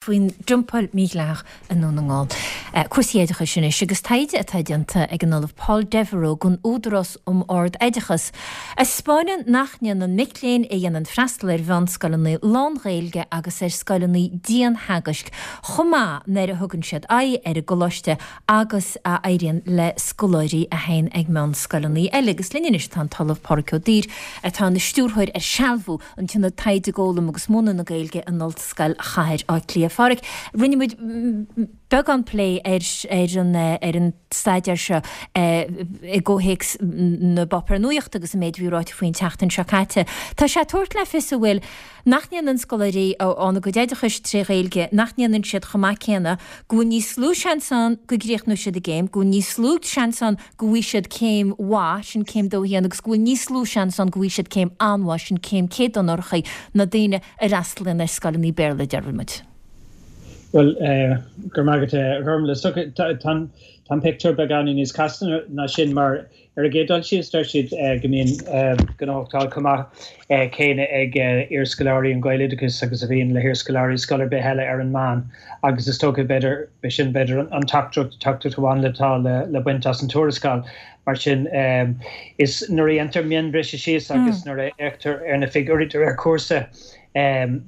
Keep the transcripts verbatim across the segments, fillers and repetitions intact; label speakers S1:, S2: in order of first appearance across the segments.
S1: faoin dumpáil mhídhleathach i nDún na nGall. Cúrsaí oideachais anois agus taighde atá déanta ag an Ollamh Paul Devereux don Údarás um Ard-Oideachas a 'spáineann nach ndéanann mic léinn a dhéanann freastal ar mheánscoileanna lán-Ghaeilge agus ar scoileanna dianteagaisc chomh maith nuair a thugann siad aghaidh ar an gcoláiste agus a éiríonn le scoláirí a théann ag meánscoileanna eile. Agus linn anois tá an tOllamh Pádraig Ó Duibhir atá ina stiúrthóir ar sealbhú an tIonad Taighde i bhFoghlaim agus Múineadh na Gaeilge in Ollscoil Chathair Átha Cliath. Phádraig, rinne muid beagán plé ar ar an ar an staidéar seo i gcomhthéacs na bpáipéar nuachta agus an méid a bhí ráite faoin tseachtain seo caite. Tá sé ag tabhairt le fios an bhfuil nach ndéanann scoláirí a fhaigheann a gcuid oideachais tré Ghaeilge, nach ndéanann siad chomh maith céanna, go bhfuil níos lú seans ann go gcríochnóidh siad a gcéim, go bhfuil níos lú seans ann go bhfaighidh siad céim mhaith, sin céim dó a haon, agus go bhfuil níos lú seans ann go bhfaighidh siad céim an-mhaith, sin céim céad onóracha, ná daoine a fhreastalaíonn ar scoileanna Béarla, deir muid.
S2: Bhuel, go raibh maith agat, a Ghormfhlaith. Tá an pictiúr beagáinín níos casta ná sin mar ar an gcéad dul síos deir siad go mbíonn gnóthachtáil chomh maith céanna ag iarscoláirí an Ghaeloideachais agus a bhíonn le hiarscoláirí scoil ar bith eile ar an meán agus is dócha b'fhéidir b'shin b'fhéidir an teachtaireacht teachtaireacht amháin atá le le baint as an tuarascáil. Mar sin is nuair a dhéantar mionbhriseadh síos agus nuair a fhéachtar ar na figiúirí de réir cúrsa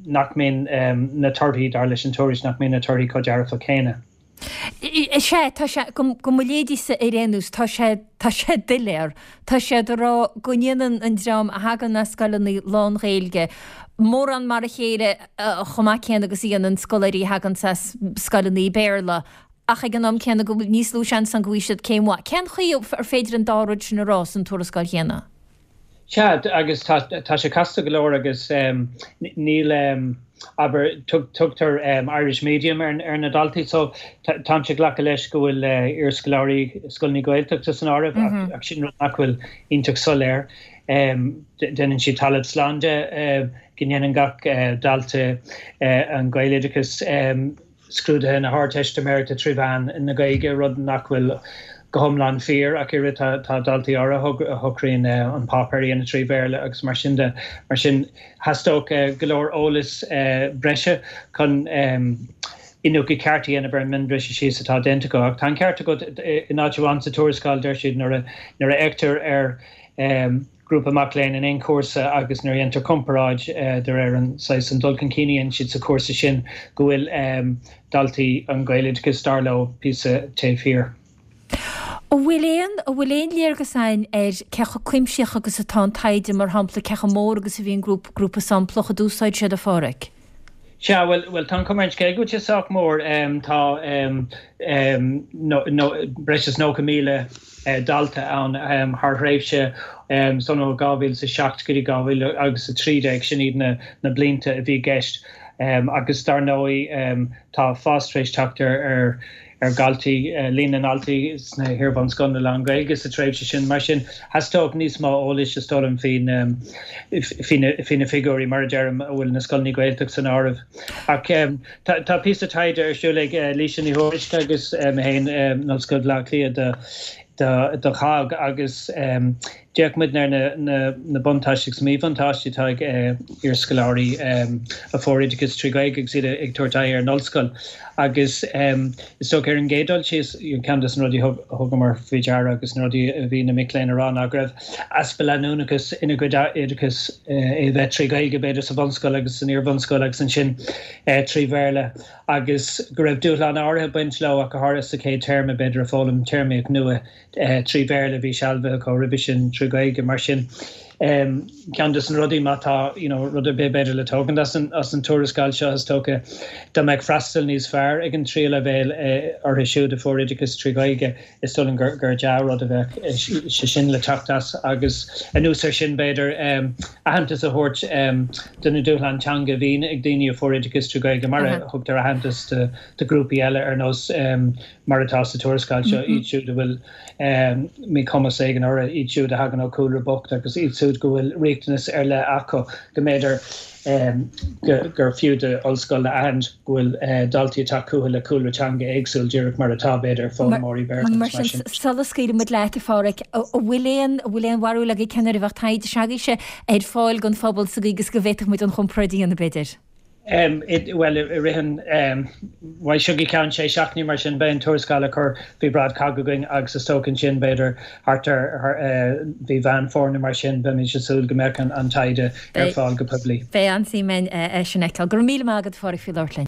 S2: nach mbíonn na torthaí, dar leis an tuairisc, nach mbíonn na torthaí chomh dearfach céanna.
S1: Sea, tá sé, go mo léidíse ar aon nós, tá sé, tá sé doiléir. Tá siad ag rá go ndéanann an dream a thagann as scoileanna lán-Ghaeilge mórán mar a chéile chomh maith céanna agus a dhéanann scoláirí a thagann as scoileanna Béarla, ach ag an am céanna go bhfuil níos lú seans ann go bhfaighidh siad céim mhaith. Cén chaoi ar féidir an dá rud sin a rá san tuarascáil chéanna?
S2: Sea, agus tá tá sé casta go leor agus níl, abair, tugtar Irish medium ar ar na daltaí so táimse ag glacadh leis go bhfuil iarscoláirí scoileanna Gaeltachta san áireamh ach ach sin rud nach bhfuil iontach soiléir. Déanann siad talamh slán de go ndéanann gach dalta an Ghaeloideachas scrúduithe na hArdteistiméireachta trí mheán na Gaeilge, rud nach bhfuil go hiomlán fíor ach oiread. Tá daltaí áirithe a shocraíonn an páipéar a dhéanamh trí Bhéarla agus mar sin de. Mar sin, theastódh go leor eolas breise chun iniúchadh ceart a dhéanamh ar an mionbhriseadh síos atá déanta acu. Ach tá an ceart agat, in áit amháin sa tuarascáil deir siad nuair a fhéachtar ar grúpa mac léinn in aon chúrsa agus nuair a dhéantar comparáid de réir an saghas an dul chun cinn a dhéanann siad sa chúrsa sin go bhfuil daltaí an Ghaeloideachais, dar leo, píosa taobh thiar.
S1: An bhfuil aon, an bhfuil aon léargas againn ar cé chomh cuimsitheach agus atá an taighde, mar shampla, cé chomh mór agus a bhí an grúpa, grúpa samplach a d'úsáid siad, a Pháraic?
S2: Sea, bhuel, bhuel, tá an chuma ar an scéal go bhfuil sé sách mór. Tá breis is nócha míle dalta ann thar thréimhse san ó dhá mhíle is a seacht go dtí dhá mhíle agus a trí déag, sin iad na blianta a bhí i gceist. Agus dar ndóigh tá fás tar éis teacht ar ar dhaltaí, líon na ndaltaí sna hiar-bhunscoileanna lán-Ghaeilge sa tréimhse sin. Mar sin, theastódh níos mó eolais, is dóigh liom, faoi faoi na figiúirí, mar a deirim, a bhfuil na scoileanna Gaeltachta san áireamh. Ach tá píosa taighde ar siúl ag Laoise Ní Thuairisg agus mé féin in Ollscoil Bhaile Átha Cliath do do CHOGG agus d'fhéach muid ar na buntáistí agus míbhuntáistí atá ag iarscoláirí a fuair oideachas trí Ghaeilge agus iad ag tabhairt aghaidh ar an ollscoil. Agus is dócha ar an gcéad dul síos, ceann de na rudaí a thugamar faoi deara agus na rudaí a bhí na mic léinn a rá ná go raibh easpa leanúnachas ina gcuid oideachais, é a bheith trí Ghaeilge b'fhéidir sa bhunscoil agus san iar-bhunscoil agus ansin trí Bhéarla agus go raibh dúshlán áirithe ag baint leo ach go háirithe sa chéad téarma b'fhéidir ag foghlaim téarmaíocht nua trí Bhéarla a bhí sealbhaithe acu roimhe sin trí Ghaeilge. Mar sin, ceann de na rudaí, má tá you know rud ar bith b'fhéidir le tógaint as an as an tuarascáil seo is dócha dá mbeadh freastal níos fearr ag an tríú leibhéal orthu siúd a fuair oideachas trí Ghaeilge, is dóigh liom gur gur dea-rud a bheadh sé sin le teacht as agus anuas air sin b'fhéidir aitheantas a thabhairt do na dúshláin teanga a bhíonn ag daoine a fuair oideachas trí Ghaeilge mar a thugtar aitheantas do do ghrúpaí eile ar nós mar atá sa tuarascáil seo, iad siúd a bhfuil míchumas éigin orthu, iad siúd a thagann ó chúlra bocht agus iad siúd go bhfuil riachtanas ar leith acu, go mb'fhéidir gur fiú d'ollscoil a aithint go bhfuil daltaí ag teacht chucu le cúlra teanga éagsúil, díreach mar atá, b'fhéidir, foghlaimeoirí Béarla
S1: agus mar sin. Sula scaoilfidh muid leat, a Pháraic, an bhfuil aon, an bhfuil aon bharúil agaibh cén uair a bheadh taighde s'agaibhse ar fáil don phobal sa gcaoi agus go bhféadfadh muid an chomparáid a dhéanamh, b'fhéidir?
S2: Bhuel, i rith an, bhuel, seo go ceann sé seachtainí mar sin, beidh an tuarascáil á cur faoi bhráid cogg againn agus is dócha ansin, b'fhéidir thart ar mhí Mheán Fómhair nó mar sin, beimid ag súil go mbeadh an taighde ar fáil go poiblí.
S1: Beidh an-suim againn é sin a fheiceáil. Go raibh míle maith agat, a Phádraig, faoi labhairt linn.